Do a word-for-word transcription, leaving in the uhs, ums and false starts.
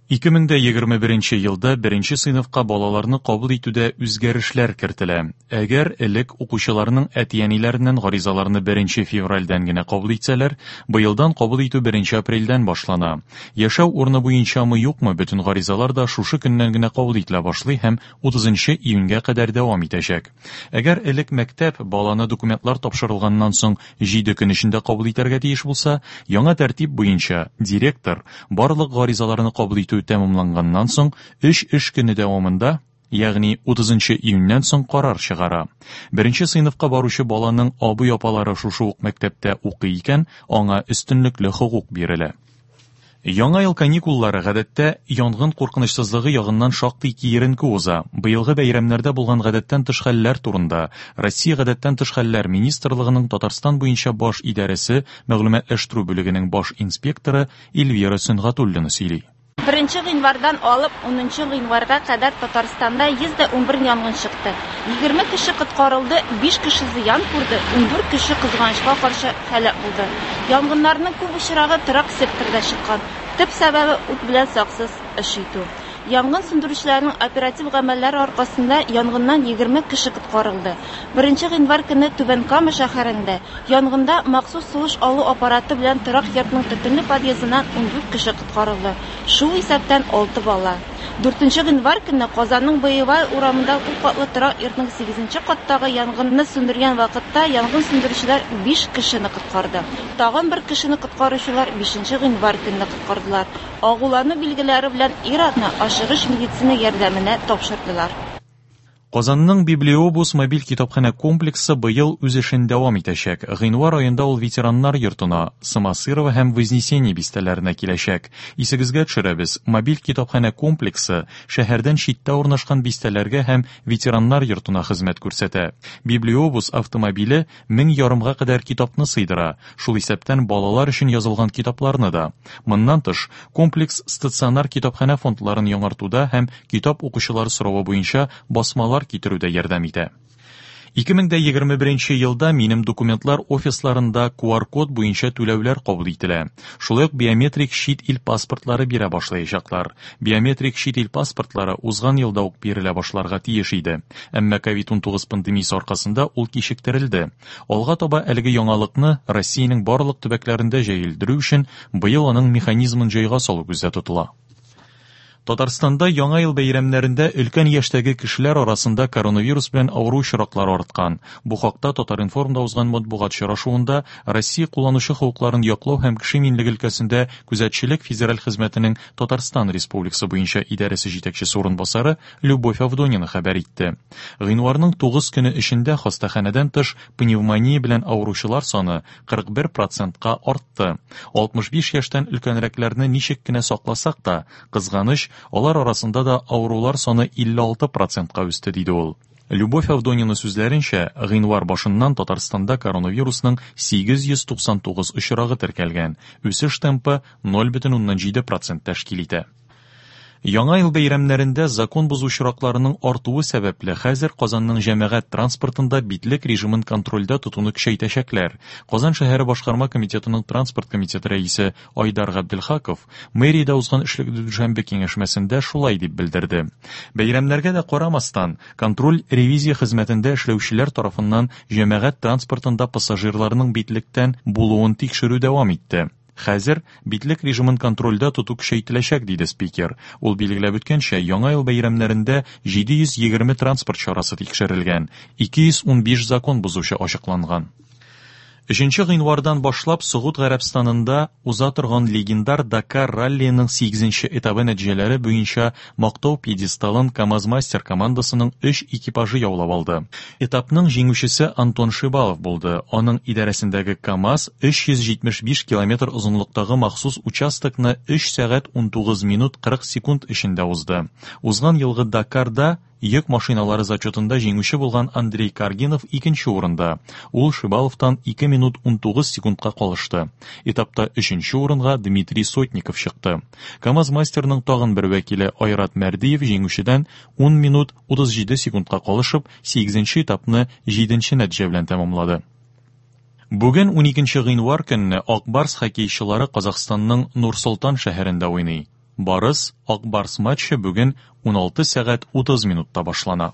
Ике мең дә егерме беренче елда беренче сыйныфка балаларны кабул итүдә үзгәрешләр кертелә. Әгәр элек укучыларның әти-әниләреннән гаризаларны беренче февральдән генә кабул итсәләр, быелдан кабул итү беренче апрельдән башлана. Яшәү урыны буенчамы юкмы, бөтен гаризалар да шушы көннән генә кабул ителә башлый һәм утызынчы июньгә кадәр дәвам итәчәк. Әгәр элек мәктәп баланы документлар тапшырылганнан соң җиде көн эчендә кабул итәргә тиеш булса, яңа тәртип буенча директор барлык гаризаларны кабул итү тәмамланганнан соң өч эш көне дәвамында, ягъни утызынчы июньнән соң карар чыгара. Беренче сыйныфка баручы баланың абый-апалары шушы ук мәктәптә укый икән, аңа өстенлекле хокук бирелә. Яңа ел каникуллары гадәттә янгын куркынычсызлыгы ягыннан шактый киеренке уза. Быелгы бәйрәмнәрдә булган гадәттән тыш хәлләр турында Россия гадәттән тыш хәлләр министрлыгының Татарстан буенча баш идарәсе мәгълүматлаштыру бүлегенең баш инспекторы Эльвира Сөнгатуллина сөйли. Беренче гыйнвардан алып унынчы гыйнварга кадәр Татарстанда йөз дә унбер янгын чыкты. Егерме кеше коткарылды, биш кеше зыян күрде, ундүрт кеше кызганычка каршы һәлак булды. Янгыннарның күп очрагы торак секторда чыккан. Төп сәбәбе ут белән саксыз эш итү. Янгын сүндерүчеләрнең оператив гамәлләре аркасында янгыннан егерме кеше коткарылды. Беренче гыйнвар көне Түбән Кама шәһәрендә янгында махсус сулыш алу аппараты белән торак йортның төтенле подъездыннан ундүрт кеше коткарылды. Шул исәптән алты бала. Дүртенче гыйнвар көне Казанның Боевая урамында күп катлы торак йортның сигезенче каттагы янгынны сүндергән вакытта янгын сүндерүчеләр биш кешене коткарды. Тагын бер кешене коткаручылар бишенче гыйнвар көнне коткардылар. Агулану билгеләре белән ир-атны ашыгыч медицина ярдәменә тапшырдылар. Казанның Библиобус мобиль китапханә комплексы быел үз эшен дәвам итәчәк. Гыйнвар аенда ул ветераннар йортына, Самосырова һәм Вознесение бистәләренә киләчәк. Исегезгә төшерәбез, мобиль китапханә комплексы шәһәрдән читтә урнашкан бистәләргә һәм ветераннар йортына хезмәт күрсәтә. Библиобус автомобиле мең ярымга кадәр китапны сыйдыра, шул исәптән балалар өчен язылган китапларны да. Моннан тыш, комплекс стационар китапханә фондларын яңартуда һәм китап укучылар соравы буенча басмалар китерүдә ярдәм итә. Ике мең дә егерме беренче елда минем документлар офисларында ку ар код буенча түләүләр кабул ителә. Шулай ук биометрик чит ил паспортлары бирә башлаячаклар. Биометрик чит ил паспортлары узган елда ук бирелә башларга тиеш иде. Әмма ковид унтугыз пандемиясе аркасында ул кичектерелде. Алга таба әлеге яңалыкны Россиянең барлык төбәкләрендә җәелдерү өчен быел аның механизмын җайга салу күздә тотыла. Татарстанда Яңа ел бәйрәмнәрендә өлкән яшьтәге кешеләр арасында коронавирус белән авыру очраклары арткан. Бу хакта Татар-информда узган матбугат очрашуында Россия кулланучы хокукларын яклау һәм кеше иминлеге өлкәсендә күзәтчелек федераль хезмәтенең Татарстан Республикасы буенча идарәсе җитәкчесе урынбасары Любовь Авдонина хәбәр итте. Гыйнварның тугыз көне эчендә хастаханәдән тыш пневмония белән авыручылар саны кырык бер процентка артты. Алтмыш биш яшьтән өлкәнрәкләрне ничек кенә сакласак та, кызганыч, алар арасында да авырулар саны илле алты процентка үсте, диде ул. Любовь Авдонина сүзләренчә, гыйнвар башыннан Татарстанда коронавирусның сигез йөз туксан тугыз очрагы теркәлгән. Үсеш темпы ноль бөтен уннан җиде процент тәшкил итә. Яңа ел бәйрәмнәрендә закон бозу очракларының артуы сәбәпле хәзер Казанның җәмәгать транспортында битлек режимын контрольдә тотуны көчәйтәчәкләр. Казан шәһәре башкарма комитетының транспорт комитеты рәисе Айдар Габделхаков мэриядә узган эшлекле дүшәмбе киңәшмәсендә шулай дип белдерде. Бәйрәмнәргә дә карамастан, контроль ревизия хезмәтендә эшләүчеләр тарафыннан җәмәгать транспортында пассажирларның битлектән булуын тикшерү дәвам итте. Хәзер битлек режимын контрольдә тоту көчәйтеләчәк, диде спикер. Ул билгеләп үткәнчә, Яңа ел бәйрәмнәрендә җиде йөз егерме транспорт чарасы тикшерелгән, ике йөз унбиш закон бозучы ачыкланган. Өченче гыйнвардан башлап Согуд Гарәбстанында уза торган легендар Дакар раллиының сигезенче этабы нәтиҗәләре буенча мактау пьедесталын КАМАЗ-мастер командасының өч экипажы яулап алды. Этапның җиңүчесе Антон Шибалов булды. Аның идарәсендәге КАМАЗ өч йөз җитмеш биш километр озынлыктагы махсус участокны өч сәгать унтугыз минут кырык секунд эчендә узды. Узган елгы Дакарда йөк машиналары зачетында җиңүче булган Андрей Каргинов икенче урында. Ул Шибаловтан ике минут унтугыз секундка калышты. Этапта өченче урынга Дмитрий Сотников чыкты. КАМАЗ-мастерның тагын бер вәкиле Айрат Мәрдиев җиңүчедән ун минут утыз җиде секундка калышып, сигезенче этапны җиденче нәтиҗә белән тәмамлады. Бүген уникенче гыйнвар көнне Ак Барс хоккейчылары Казахстанның Нур-Солтан шәһәрендә уйный. Барыс — Ак Барс матчы бүген уналты сәгать утыз минутта башлана.